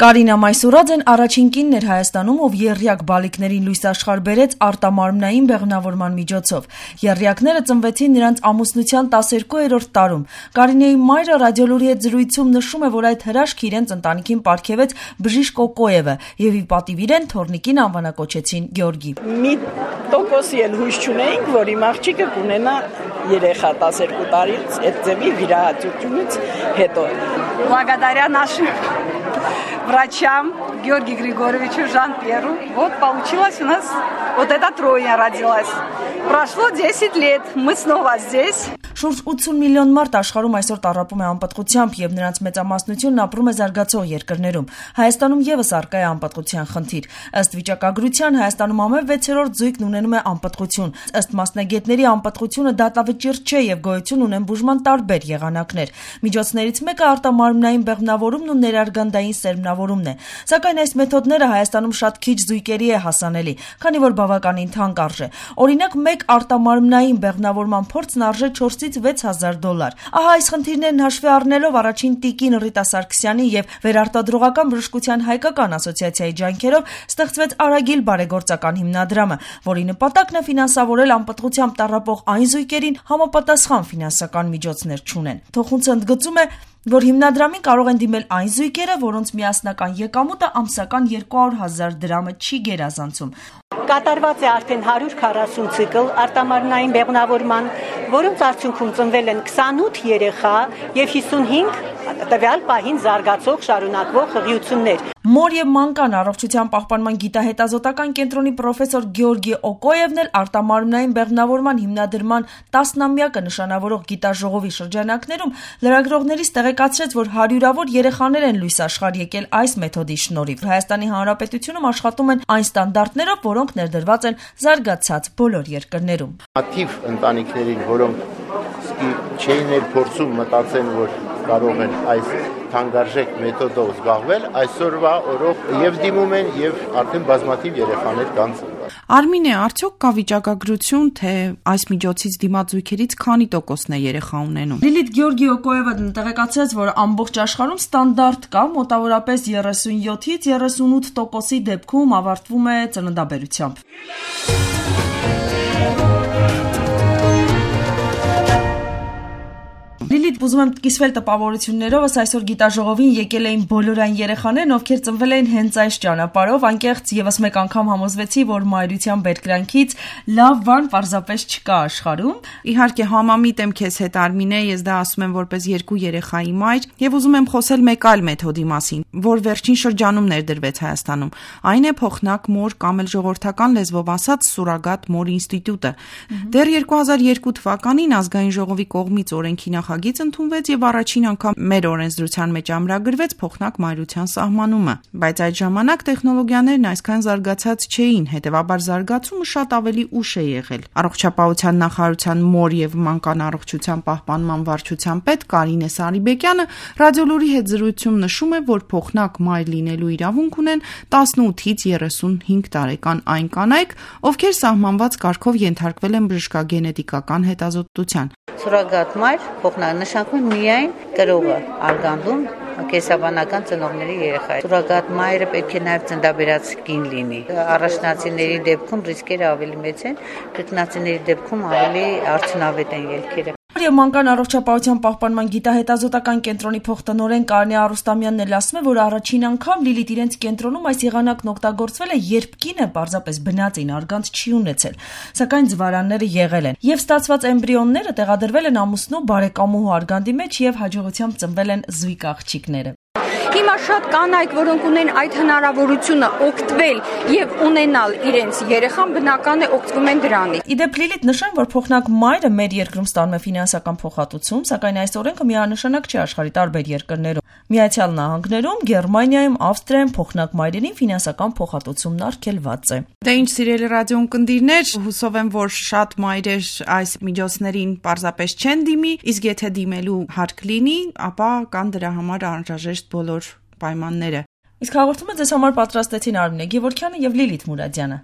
Կարինա Մայսուրաձեն առաջին կինն էր Հայաստանում, ով եռյակ բալիկներին լույս աշխարհ բերեց արտամարմնային բեղմնավորման միջոցով։ Եռյակները ծնվեցին նրանց ամուսնության 12-րդ տարում։ Կարինեի մայրը ռադիոլուրի հետ զրույցում նշում է, որ այդ հրաշքը իրենց ընտանիքին պարգևեց Բժիշկ Օկոևը եւ ի պատիվ իրեն թոռնիկին անվանակոչեցին Գյորգի։ Մի տոկոսի էլ հույս չունեինք, որ իմ աղջիկը կունենա երեխա 12 տարից այդ ձևի վիրահատությունից հետո։ Благодаря нашим врачам Георгию Григорьевичу, Жан-Пьеру, вот получилось у нас, вот эта тройня родилась. Прошло 10 лет, мы снова здесь. Շուրջ 80 միլիոն մարդ աշխարհում այսօր տառապում է անպատղությամբ եւ նրանց մեծամասնությունն ապրում է զարգացող երկրներում։ Հայաստանում եւս առկա է անպատղության խնդիր։ Ըստ վիճակագրության Հայաստանում ամեն 6-րդ զույգն ունենում է անպատղություն։ Ըստ մասնագետների անպատղությունը դատավճիռ չէ եւ գոյություն ունեն բուժման տարբեր եղանակներ։ Միջոցներից մեկը արտամարմնային բեղմնավորումն ու ներարգանդային սերմնավորումն է։ Սակայն այս մեթոդները Հայաստանում շատ քիչ զույգերի է հասանելի, քանի որ բավականին թանկ արժե։ Օրինակ, մեկ արտամարմնային բեղմնավորման փորձն արժե $4,000-$5,000։ Ահա այս խնդիրներն հաշվի առնելով առաջին տիկին Ռիտա Սարգսյանի եւ վերարտադրողական բժշկության հայկական ասոցիացիայի ջանքերով ստեղծվեց Արագիլ բարեգործական հիմնադրամը, որի նպատակն է ֆինանսավորել անպատղությամբ տառապող այն զույգերին համապատասխան ֆինանսական միջոցներ չունեն։ Թոխունցը ընդգծում է, որ հիմնադրամին կարող են դիմել այն զույգերը, որոնց միասնական եկամուտը ամսական $200,000 չի գերազանցում։ Կատարված է արդեն 140 ցիկլ արտամարմնային բեղմնավորման, որոնց արդյունքում ծնվել են 28 երեխա եւ 55 տվյալ պահին զարգացող շարունակվող հղիություններ։ Մոր եւ մանկան առողջության պահպանման գիտահետազոտական կենտրոնի պրոֆեսոր Գյորգի Օկոևն էլ արտամարմնային բեղմնավորման հիմնադրման 10-ամյակը նշանավորող գիտաժողովի շրջանակներում լրագրողներից տեղեկացրեց, որ հարյուրավոր երեխաներ են լույս աշխարհ եկել այս մեթոդի շնորհիվ։ Հայաստանի Հանրապետությունում աշխատում են այն ստանդարտներով, որոնք ներդրված են զարգացած բոլոր երկրներում։ Ակտիվ ընտանիքներին, որոնք չէին փորձում մտածեն, որ կարող են այս թանկարժեք մեթոդով զբաղվել, այսօրվա օրով եւ դիմում են եւ արդեն բազմաթիվ երեխաներ կան ծնված։ Արմինե, արդյոք կա վիճակագրություն, թե այս միջոցից դիմաց զույգերից քանի տոկոսն է երեխա ունենում։ Լիլիթ Գյորգի Օկոևը տեղեկացրեց, որ ամբողջ աշխարհում ստանդարտ կա, մոտավորապես 37-ից 38% դեպքում ավարտվում է ծննդաբերությամբ։ Լիլիթ, ուզում եմ կիսվել տպավորություններովս, այսօր գիտաժողովին եկել էին բոլոր այն երեխաներն, ովքեր ծնվել էին հենց այս ճանապարհով, անկեղծ եւս մեկ անգամ համոզվեցի, որ մայրության բերկրանքից լավ բան պարզապես չկա աշխարհում։ Իհարկե համամիտ եմ քեզ հետ, Արմինե, ես դա ասում եմ որպես երկու երեխայի մայր, եւ ուզում եմ խոսել մեկ այլ մեթոդի մասին, որ վերջին շրջանում ներդրվեց Հայաստանում։ Այն է փոխնակ մոր կամ էլ ժողովրդական լեզվով ասած սուրագատ մոր ինստիտուտը։ Դեռ 2002 թվականին ազգային ժողովի կողմից օրենքի նախագիծ ընդունվեց եւ առաջին անգամ մեր օրենսդրության մեջ ամրագրվեց փոխնակ մայրության սահմանումը, բայց այդ ժամանակ տեխնոլոգիաներն այսքան զարգացած չէին, հետեւաբար զարգացումը շատ ավելի ուշ է եղել։ Առողջապահության նախարարության մոր եւ մանկան առողջության պահպանման վարչության պետ Կարինե Սարիբեկյանը ռադիոլուրի հետ զրույցում նշում է, որ փոխնակ մայր լինելու իրավունք ունեն 18-ից 35 տարեկան այն կանայք, ովքեր սահմանված կարգով ենթարկվել են բժշկագենետիկական հետազոտության։ Սուրագատ մայր փոխնանշանակում միայն կրողը արգանդում կեսաբանական ծնողների երեխա է։ Սուրագատ մայրը պետք է նաև ծննդաբերած կին լինի։ Առաջնացիների դեպքում ռիսկերը ավելի մեծ են, կրկնացիների դեպքում ավելի արդյունավետ են ելքերը։ Եվ մանկան առողջապահության պահպանման գիտահետազոտական կենտրոնի փոխտնօրեն Կարինե Արուստամյանն էլ ասում է, որ առաջին անգամ Լիլիթ իրենց կենտրոնում այս եղանակն օգտագործվել է, երբ կինը պարզապես բնածին արգանդ չի ունեցել, սակայն ձվարանները եղել են, եւ ստացված էմբրիոնները տեղադրվել են ամուսնու բարեկամուհու արգանդի մեջ եւ հաջողությամբ ծնվել են զույգ աղջիկները։ Հիմա շատ կանայք, որոնք ունեն այդ հնարավորությունը օգտվել եւ ունենալ իրենց երեխան, բնական է օգտվում են դրանից։ Իդեպ Լիլիթ նշեմ, որ փոխնակ մայրը մեր երկրում ստանում է ֆինանսական փոխհատուցում, սակայն այս օրենքը միանշանակ չի աշխարհի տարբեր երկրներում։ Միացյալ Նահանգներում, Գերմանիայում, Ավստրիայում փոխնակ մայրերին ֆինանսական փոխհատուցումն արգելված է։ Դե ինչ սիրելի ռադիոընկերներ, հուսով եմ, որ շատ մայրեր այս միջոցներին պարզապես չեն դիմի, իսկ եթե դիմելու հարկ լինի, ապա կան դրա համար անհրաժեշտ բոլոր պայմանները։ Իսկ հաղորդումը ձեզ համար պատրաստեցին Արմինե Գևորգյանը եւ Լիլիթ Մուրադյանը։